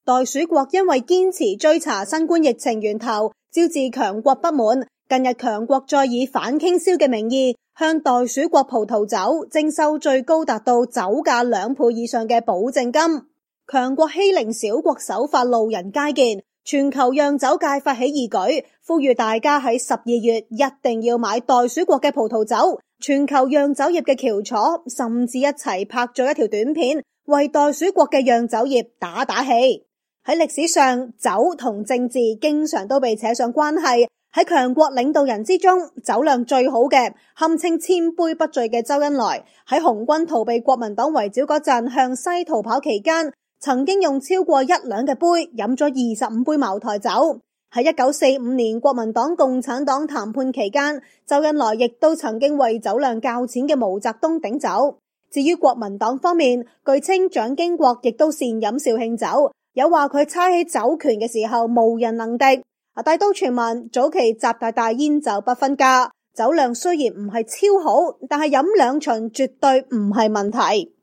袋鼠國因為堅持追查新冠疫情源頭，招致強國不滿。近日強國再以反傾銷嘅名義，向袋鼠國葡萄酒徵收最高達到酒價2倍以上嘅保證金。強國欺凌小國手法路人皆見，全球釀酒界發起義舉，呼籲大家喺12月一定要買袋鼠國嘅葡萄酒。全球釀酒業嘅翹楚甚至一齊拍咗一條短片，為袋鼠國嘅釀酒業打氣。喺歷史上，酒同政治經常都被扯上關係。喺強國領導人之中，酒量最好嘅，堪稱千杯不醉嘅周恩來，喺紅軍逃避國民黨圍剿嗰陣向西逃跑期間，曾經用超過1兩嘅杯飲咗25杯茅台酒。喺1945年國民黨共產黨談判期間，周恩來亦都曾經為酒量較淺嘅毛澤東頂酒。至於國民黨方面，據稱蔣經國亦都善飲紹興酒，有話佢猜起酒權嘅時候無人能敵。大都傳聞早期習大煙酒不分家，酒量雖然唔係超好，但係飲2巡絕對唔係問題。